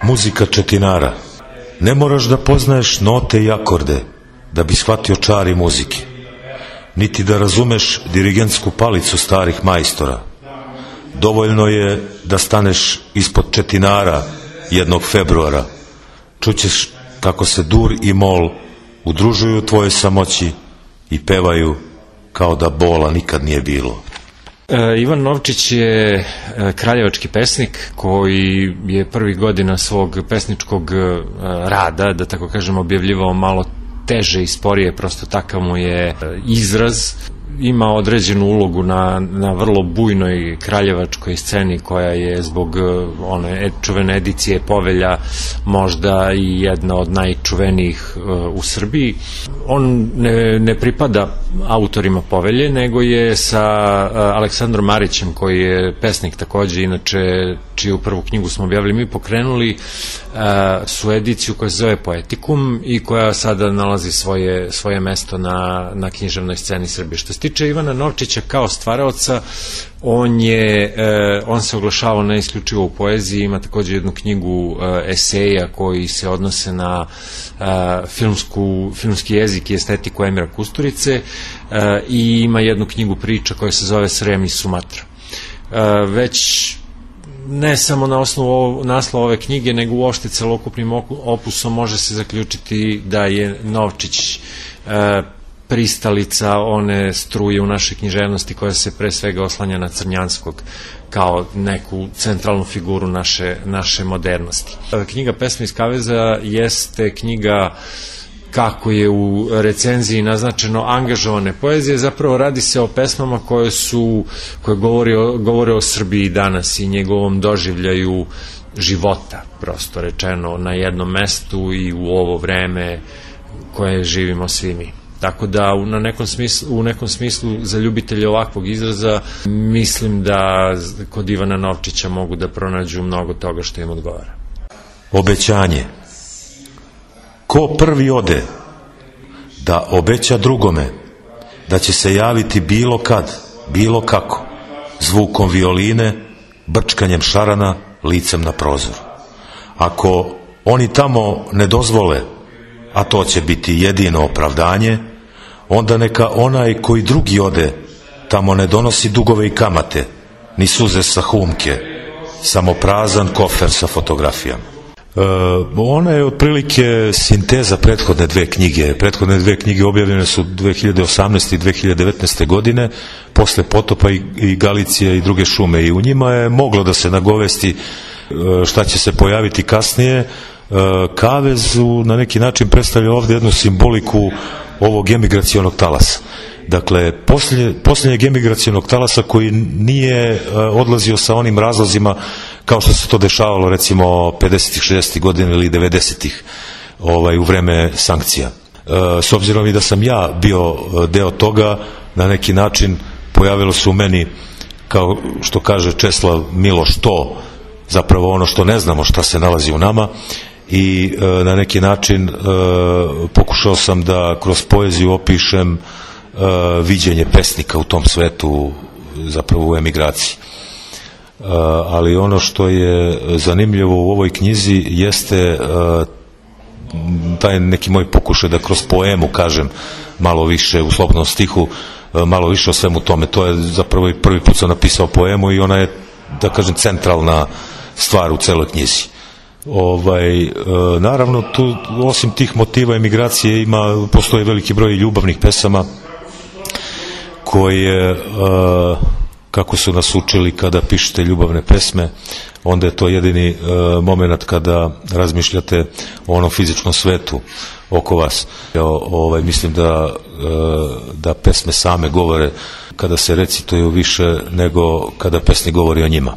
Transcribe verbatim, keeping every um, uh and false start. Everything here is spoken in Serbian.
Muzika Četinara. Ne moraš da poznaješ note i akorde da bi shvatio čari muzike, niti da razumeš dirigentsku palicu starih majstora. Dovoljno je da staneš ispod Četinara jednog februara. Čućeš kako se dur i mol udružuju u tvojoj samoći i pevaju kao da bola nikad nije bilo. Ivan Novčić je kraljevački pesnik koji je prvih godina svog pesničkog rada, da tako kažem, objavljivao malo teže i sporije, prosto takav mu je izraz. Ima određenu ulogu na, na vrlo bujnoj kraljevačkoj sceni koja je zbog one čuvene edicije Povelja možda i jedna od najčuvenijih uh, u Srbiji. On ne, ne pripada autorima Povelje, nego je sa uh, Aleksandrom Marićem, koji je pesnik takođe, inače čiju prvu knjigu smo objavili mi, pokrenuli uh, su ediciju koja se zove Poetikum i koja sada nalazi svoje, svoje mesto na, na književnoj sceni Srbije. Što se tiče Ivana Novčića kao stvaraoca, on je, on se oglašavao ne isključivo u poeziji, ima takođe jednu knjigu eseja koji se odnose na filmsku, filmski jezik i estetiku Emira Kusturice i ima jednu knjigu priča koja se zove Srem i Sumatra. Već ne samo na osnovu naslova ove knjige, nego uopšte celokupnim opusom može se zaključiti da je Novčić pristalica one struje u našoj književnosti koja se pre svega oslanja na Crnjanskog kao neku centralnu figuru naše, naše modernosti. Knjiga Pesme iz kaveza jeste knjiga, kako je u recenziji naznačeno, angažovane poezije. Zapravo radi se o pesmama koje su, koje govore o, govore o Srbiji danas i njegovom doživljaju života, prosto rečeno, na jednom mestu i u ovo vreme koje živimo svi mi. Tako da u, na nekom smislu, u nekom smislu za ljubitelje ovakvog izraza mislim da kod Ivana Novčića mogu da pronađu mnogo toga što im odgovara. Obećanje. Ko prvi ode da obeća drugome da će se javiti bilo kad, bilo kako, zvukom violine, brčkanjem šarana, licem na prozor. Ako oni tamo ne dozvole, a to će biti jedino opravdanje, onda neka onaj koji drugi ode tamo ne donosi dugove i kamate, ni suze sa humke, samo prazan kofer sa fotografijama. E, ona je otprilike sinteza prethodne dve knjige. Prethodne dve knjige objavljene su dve hiljade osamnaeste i dve hiljade devetnaeste godine, posle Potopa i, i Galicije i druge šume, i u njima je moglo da se nagovesti e, šta će se pojaviti kasnije. Kavez na neki način predstavlja ovde jednu simboliku ovog emigracionog talasa. Dakle, posljednje, posljednjeg emigracionog talasa koji nije odlazio sa onim razlozima kao što se to dešavalo recimo pedesetih, šezdesetih godina ili devedesetih ovaj, u vreme sankcija. S obzirom i da sam ja bio deo toga, na neki način pojavilo se u meni, kao što kaže Česlav Miloš, to zapravo ono što ne znamo šta se nalazi u nama, i e, na neki način e, pokušao sam da kroz poeziju opišem e, viđenje pesnika u tom svetu, zapravo u emigraciji. E, ali ono što je zanimljivo u ovoj knjizi jeste e, taj neki moj pokušaj da kroz poemu kažem malo više, u slobodnom stihu, e, malo više o svemu tome. To je zapravo i prvi put sam napisao poemu i ona je, da kažem, centralna stvar u celoj knjizi. Ovaj, e, naravno tu osim tih motiva emigracije ima, postoji veliki broj ljubavnih pesama koje e, kako su nas učili, kada pišete ljubavne pesme onda je to jedini e, moment kada razmišljate o onom fizičkom svetu oko vas. O, ovaj, mislim da, e, da pesme same govore kada se recituju više nego kada pesnik govori o njima.